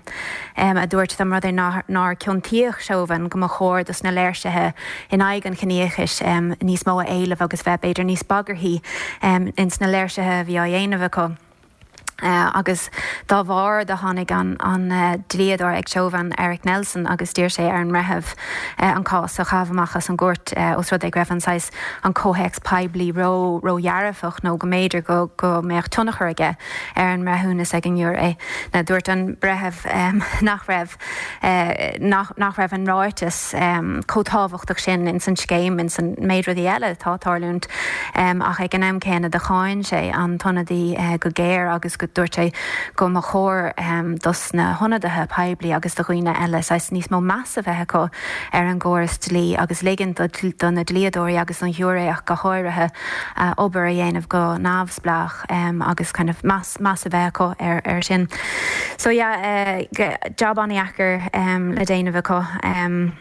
Um, a dúirt dá mba rud é nár, nár ciontaíodh Chauvin go mba chóir dos na léirsithe in aghaidh an chiníochais um, níos mó a éileamh agus bheith b'fhéidir níos bagarthaí um, ins na léirsithe a bhí á dhéanamh acu. Uh, agus dá bharr do tháinig an, an uh, dlíodóir ag Chauvin Eric Nelson agus d'iarr sé ar an mbreitheamh uh, an cás a chaitheamh amach as an gcúirt uh, os rud é go raibh an saghas an comhthéacs poiblí ró ródhearfach nó go mb'fhéidir go go mbeadh tionchar aige ar an mbreithiúnas ag an ngiúiré. Now dúirt an breitheamh um, nach raibh uh, nach, nach raibh an ráiteas um, chomh tábhachtach sin ins an scéim ins an méid rudaí eile atá ag tarlúint um, ach ag an am céanna do cháin sé an t-ionadaí uh, go géar agus go dúirt sé go mba chóir um, dos na hionadaithe poiblí agus do dhaoine eile saghas níos mó meas a bheith acu ar an gcóras dlí agus ligean do, do na dlíodóirí agus an ghiúiré ach go háirithe uh, obair a dhéanamh go neamhspleách um, agus kind of meas, meas a bheith acu ar, ar sin. So yeah, uh, job an-deacair um, le déanamh acu. Um,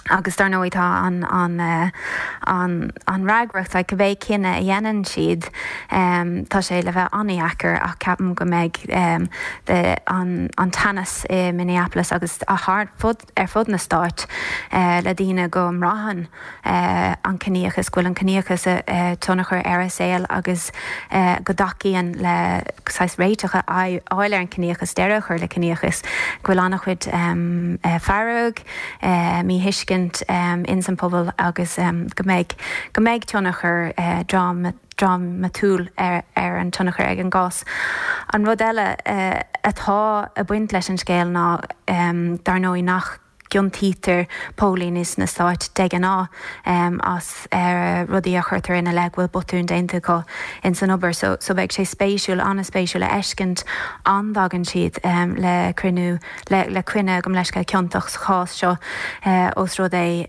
agus dar ndóigh tá an an uh, an an fhreagracht like, cibé cinneadh a dhéanann siad um, tá sé le bheith an-deacair ach ceapaim go mbeidh um, de, an, an teannas i Minneapolis agus a thar fud, ar fud na stáit uh, le daoine go mbraitheann uh, an ciníochas go bhfuil an ciníochas uh, tionchar ar a saol agus uh, go dtacaíonn le saghas réiteach a fháil ar an ciníochas deireadh a chur le ciníochas go bhfuil an-chuid um, uh, fearg uh, míthuiscint um, ins an pobal agus um, go mbeidh go mbeidh tionchar uh, dram drámatúil ar, ar an tionchar ag an gcás. An rud eile uh, atá ag baint leis an scéal ná um, dar ndóigh nach gciontaítear póilíní sna Stáit de ghnáth as rudaí a chuirtear ina leith go bhfuil botún déanta acu ins an obair. So so beidh sé spéisiúil, an-spéisiúil a fheiscint an dtagann siad le cruinniú le le coinne gabh mo leithscéal ciontach sa chás seo os rud é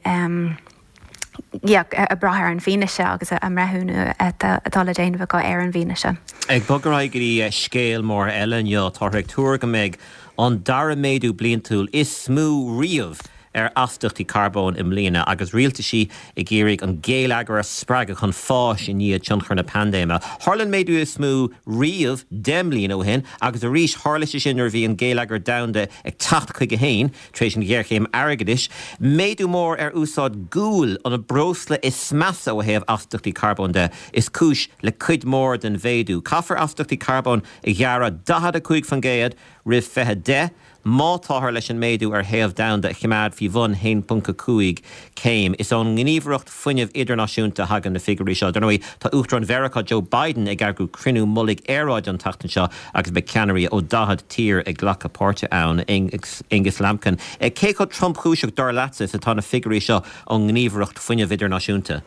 yeah, ag brath ar an bhfianaise agus a mbreithiúnú atá le déanamh acu ar an bhfianaise. Ag bogadh ar aghaidh go dtí scéal mór eile inniu, táthar ag tuar go mbeidh an dara méadú bliantúil is mó riamh ar astaíochtaí carbóin i mbliana agus rialtaisí ag iarraidh an géilleagar a spreagadh chun fáis i ndiaidh tionchar na paindéime. Tharla an méadú is mó riamh deich mbliana ó shin agus arís tharla sé sin nuair a bhí an géilleagar domhanda ag teacht chuige féin tar éis an ghéarchéim airgeadais. Méadú mór ar úsáid guail, an breosla is measa ó thaobh astaíochtaí carbóin de, is cúis le cuid mhór den mhéadú. Caithfear astaíochtaí carbóin a ghearradh daichead a cúig faoin gcéad roimh fiche deich. Má táthar leis an méadú ar théamh domhanda a choimeád faoi bhun haon ponc a cúig céim. Is ón nGníomhaireacht Fuinnimh Idirnáisiúnta a thagann na figiúirí seo. Dar ndóigh, tá Uachtarán Mheiriceá Joe Biden ag eagrú cruinniú mullaigh aeráide an tseachtain seo agus beidh ceannairí ó daichead tír ag glacadh páirte ann. Aonghus Lambkin, cé chomh tromchúiseach, dar leatsa, is atá na figiúirí seo ón nGníomhaireacht Fuinnimh Idirnáisiúnta?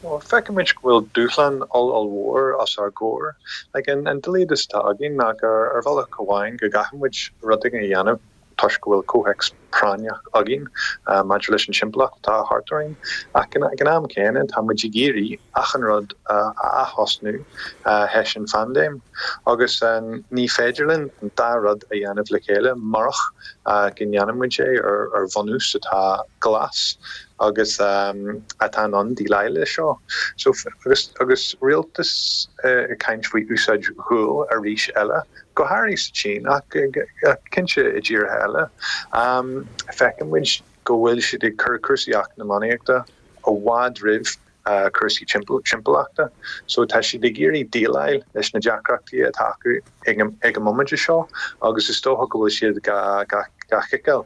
Bhuel, feicimid go bhfuil dúshlán ollmhór os ár gcomhair. Like, an an doilíos atá againn ná gur ar bhealach amháin go gcaithfidh muid rud éigin a dhéanamh toisc go bhfuil comhthéacs práinneach againn maidir leis an timpeallacht atá thart orainn. Ach ag an am céanna, tá muid ag iarraidh achan rud a athosnú théis an phaindéim. Agus ní féidir linn an dá rud a dhéanamh le chéile murach go ndéanann muid é ar bhunús atá glas agus atá in ann déileáil leis seo. So, agus, agus rialtas ag caint faoi úsáid ghuail arís eile, go háirithe sa tSín ach cinnte i dtíortha eile, feiceann muid go bhfuil siad ag cur cúrsaí eacnamaíochta i bhfad roimh cúrsaí timpeallachta. So tá siad ag iarraidh déileáil leis na deacrachtaí atá acu ag an mbomaite seo agus is dócha go bhfuil siad gá chiceáil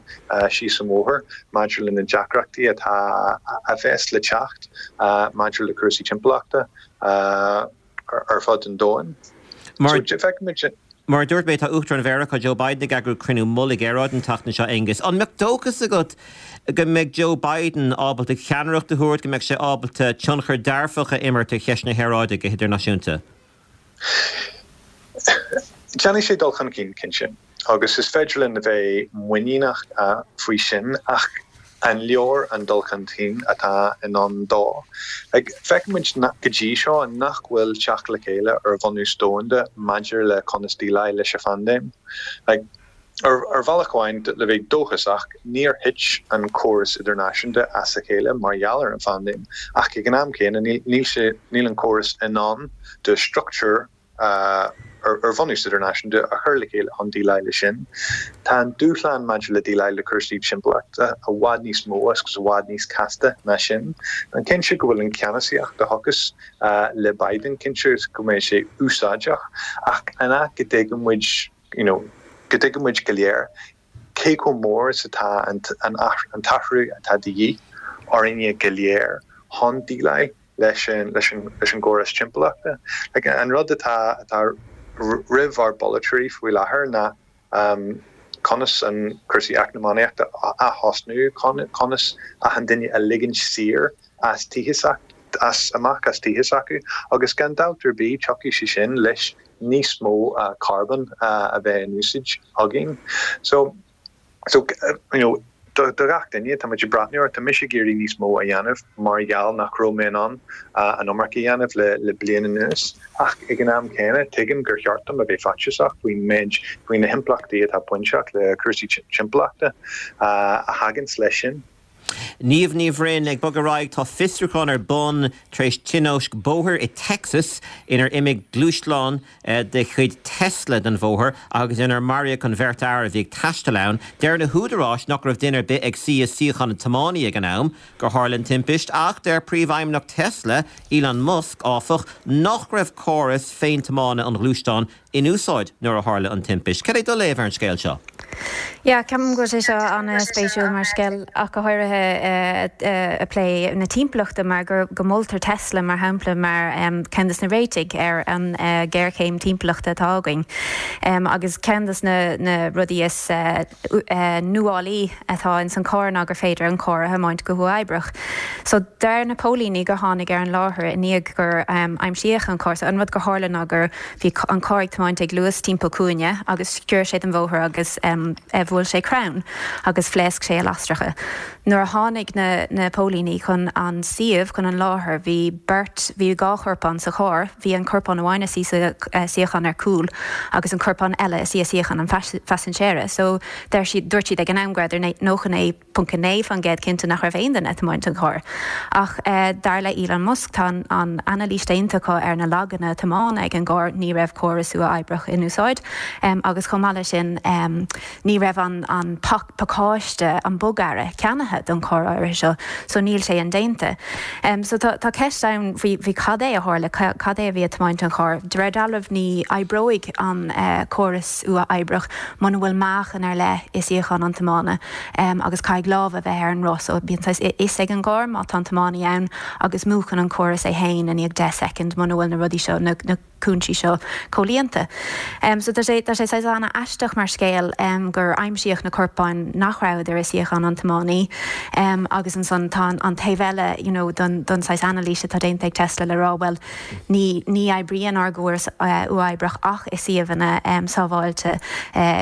síos an bóthar maidir le na deacrachtaí atá a bheas le teacht maidir le cúrsaí timpeallachta ar fud an domhain. Mar Mar a dúirt mé, tá Uachtarán Mheiriceá Joe Biden ag eagrú cruinniú mullaigh aeráide an tseachtain seo, Aonghus. An mbeadh dóchas agat go mbeidh Joe Biden ábalta ceannaireacht a thabhairt, go mbeidh sé ábalta tionchar dearfach a imirt ar cheist na haeráide go hidirnáisiúnta? Déanfaidh sé dul chun cinn, cinnte, agus is féidir linn a bheith muiníneach faoi sin, ach an leor an dul chun cinn atá i ndán dó? Like, feicimid go dtí seo nach bhfuil teacht le chéile ar bhunús domhanda maidir le conas déileáil leis an phaindéim. Like, ar, ar bhealach amháin, le bheith dóchasach, níor thit an córas idirnáisiúnta as a chéile mar gheall ar an phaindéim, ach ag an am céanna níl, níl sé, níl an córas in ann do struchtúr ar bhunús idirnáisiúnta a chur le chéile chun déileáil leis sin. Tá an dúshlán maidir le déileáil le cúrsaí timpeallachta i bhfad níos mó agus i bhfad níos casta ná sin. Tá cinnte go bhfuil an ceannasaíocht a thiocfas le Biden, cinnte go mbeidh sé úsáideach, ach an ea go dtuigeann muid, you know, go dtuigeann muid go léir cé chomh mór is atá an t-athrú atá de dhíth orainne go léir chun déileáil leis an leis an leis an gcóras timpeallachta. Like, an rud atá atá roimh ár bpolaiteoirí faoi láthair ná um, conas an cúrsaí eacnamaíochta a athosnú, conas achan duine a ligint saor as tithe as amach as tithe s'acu, agus gan dabht ar bith tiocfaidh sé sin leis níos mó uh, carbón uh, a bheith in úsáid againn. So, so you know, do gach duine, tá muid ag breathnú ar, tá mise ag iarraidh níos mó a dhéanamh mar gheall nach raibh mé in ann an iomarca a dhéanamh le le bliain anuas, ach ag an am céanna tuigim gur cheart dom a bheith faitíosach faoin méid, faoi na himpleachtaí atá bainteach le cúrsaí timpeallachta a thaganns leis sin. Niamh Ní Bhroin, ag bogadh ar aghaidh, tá fiosrúchán ar bun tar éis tionóisc bóthair i Texas inar imigh gluaisteán de chuid Tesla den bhóthar agus inar maraíodh an bheirt fhear a bhí ag taisteal ann. Deir na húdaráis nach raibh duine ar bith ag suí i suíochán an tiománaí ag an am gur tharla an timpist ach deir príomhfheidhmeannach Tesla, Elon Musk, áfach, nach raibh córas féintiomána an ghluaisteáin in úsáid nuair a tharla an timpist. Cad é do léamh ar an scéal seo? Yeah, ceapaim go bhfuil sé seo an-spéisiúil mar scéal ach go háirithe ag plé na timpeallachta mar gur go moltar Tesla mar shampla mar ceann des na réitigh ar an géarchéim timpeallachta atá againn. Agus ceann des na rudaí is nuálaí atá ins an carr ná gur féidir an carr a thiomáint go huathoibríoch. So deir na póilíní gur tháinig ar an láthair i ndiaidh gur aimsíodh an carr. So an rud gur tharla ná gur bhí an carr ag tiomáint ag luas timpeall cúinne agus sciorr sé den bhóthar agus bhuail sé crann agus phléasc sé a lasracha. Nuair a tháinig na na póilíní chun an suíomh, chun an láthair, bhí beirt, bhí dhá chorpán sa charr, bhí an corpán amháin ina suí sa suíochán ar cúl agus an corpán eile ina suí i suíochán an phaisinéara. So deir siad, dúirt siad ag an am go rabhadar nócha naoi ponc a naoi faoin gcéad cinnte nach raibh aon duine ag tiomáint an chairr. Ach dar le Elon Musk, tá an anailís déanta acu ar na laganna tiomána ag an gcarr, ní raibh córas uathoibríoch in úsáid agus chomh maith leis sin ní raibh an an pacáiste, an bogearra, ceannaithe don charr áirithe seo so níl sé indéanta. So tá tá ceist ann faoi faoi cad é a tharla, cad é a bhí ag tiomáint an chairr. De réir dealraimh ní oibreoidh an córas uathoibríoch muna bhfuil meáchan ar leith i suíochán an tiomána agus caithfidh lámh a bheith ar an roth so bíonn saghas fhios ag an gcarr má tá an tiománaí ann agus múchann an córas é féin i ndiaidh deich soicind muna bhfuil na rudaí seo, na cúinsí seo comhlíonta. So tá sé tá sé saghas an-aisteach mar scéal gur aimsíodh na corpáin nach rabhadar i suíochán an tiománaí agus ansan tá an taobh eile you know don don saghas anailís atá déanta ag Tesla le rá bhuel ní ní oibríonn ár gcóras uathoibríoch ach i suíomhanna sábháilte.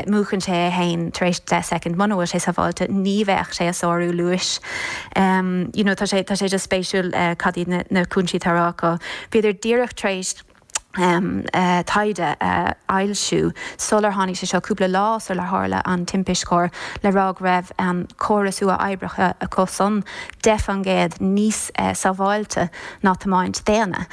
Múchann sé é féin tar éis deich soicind muna bhfuil sé sábháilte ní bheadh sé ag sárú luais. You know tá sé tá sé just spéisiúil cad iad na na cúinsí atá á rá acu. Bhíodar díreach tar éis taighde a fhoilsiú sular tháinig sé seo, cúpla lá sular tharla an timpiste chairr, le rá go raibh an córas uathoibríoch acu san deich faoin gcéad níos sábháilte ná tiomáint daonna.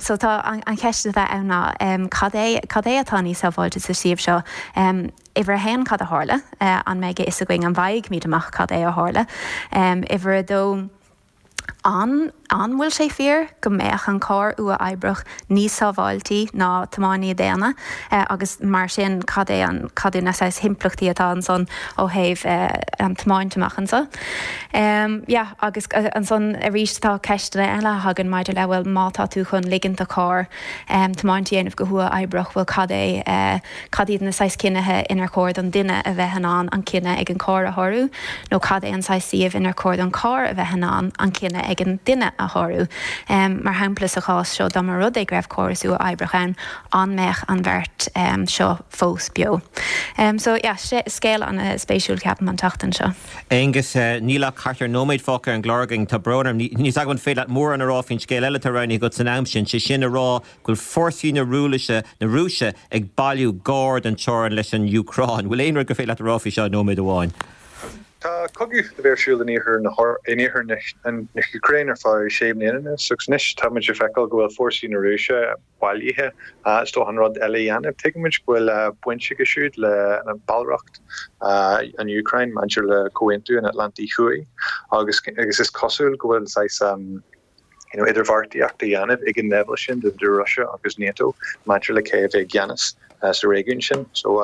So tá an cheist atá ann ná cad é cad é atá níos sábháilte sa suíomh seo? Uimhir a haon, cad a tharla? An mbeidh a fhios againn, an bhfaighimid amach cad é a tharla? Uimhir a dó, An an bhfuil sé fíor go mbeadh an carr uathoibríoch níos sábháiltí ná tiománaí daonna agus mar sin cad é an cad é na saghas himpleachtaí atá ansan ó thaobh an tiomáint amach anseo? Yeah agus ansan arís tá ceisteanna eile a thagann maidir le bhuel má tá tú chun ligint do charr tiomáint a dhéanamh go huathoibríoch bhuel cad é cad iad na saghas cinnithe inar chóir don duine a bheith in ann an cinneadh ag an carr a shárú nó cad é an saghas suíomh inar chóir don carr a bheith in ann an cinneadh ag an duine a shárú. Mar shampla, sa chás seo, dá mba rud é go raibh córas uathoibríoch ann, an mbeadh an bheirt seo fós beo? So, yeah, scéal an-spéisiúil, ceapaim, an tseachtain seo. Aonghus, níl ach thart ar nóiméad fágtha ar an gclár againn. Tá brón orm, níl a fhios agam an féidir leat mórán a rá faoin scéal eile atá roghnaithe agat san am sin, sé sin a rá go bhfuil fórsaí na Rúise, na Rúise ag bailiú gar don teorainn leis an Úcráin. Bhfuil aon rud gur féidir leat a rá faoi seo i nóiméad amháin? Tá cogadh le bheith ar siúl in iarthar na in iarthar na hÚcráine ar feadh sé bliana anois agus anois táimid ag feiceáil go bhfuil fórsaí na Rúise bailithe is dócha an rud eile a dhéanamh. Tuigimid go bhfuil baint aige siúd le ballraíocht an Úcráin maidir le Comhaontú an Atlantaigh Thuaidh agus agus is cosúil go bhfuil saghas you know idirbheartaíocht a dhéanamh ag an leibhéal sin idir Rúise agus NATO maidir le cé a bheidh i gceannas sa réigiún sin. So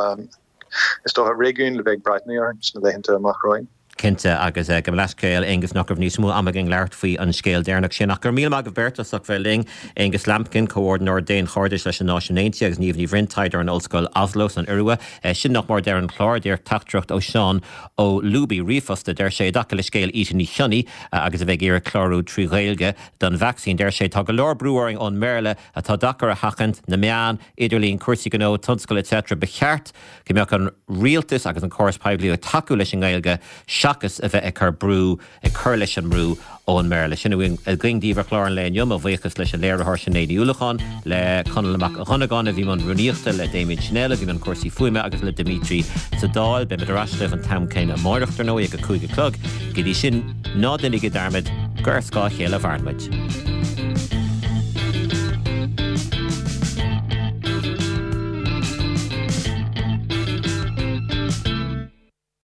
Is dócha réigiún le bheith ag breathnú air sna laethanta amach romhainn. Cinnte, agus gabh mo leithscéal, Aonghus, nach raibh níos mó ama againn labhairt faoi an scéal deireanach sin. Ach go raibh míle maith agaibh beirt as ucht bheith linn, Aonghus Lambkin, Comhordaitheoir Daonchairdis leis na Náisiúin Aontaithe agus Niamh Ní Bhroin, taighdeoir in Ollscoil Oslo san Iorua. Sin nach mór deireadh an chláir. Díreach teachtaireacht ó Seán Ó Lúbaigh, ríomhphost, a deir sé, i dtaca le scéal Ita Ní Chionnaith agus a bheith ag iarraidh clárú trí Ghaeilge don vacsaín. Deir sé, Tá go leor brú orainn ón mBéarla atá deacair a sheachaint, na meáin, idirlíon, cúrsaí gnó, tionscal etc. Ba cheart go mbeadh an rialtas agus an córas poiblí ag tacú leis an nGaeilge seachas a bheith ag cur brú, ag cur leis an mbrú ón mBéarla. Sin a bhí againn daoibh ar chlár an lae inniu. Mo bhuíochas leis an léiritheoir Sinéad Ní Uallacháin, le Conall Mac Dhonnagáin a bhí i mbun rúnaíochta, le Damien Schnell a bhí i mbun cúrsaí fuaime agus le Dimitri sa Dáil. Beimid ar ais libh an t-am céanna amárach, dar ndóigh, ag a cúig a chlog. Go dtí sin, ná déanaigí dearmad gur ar scáth a chéile a mhaireann muid.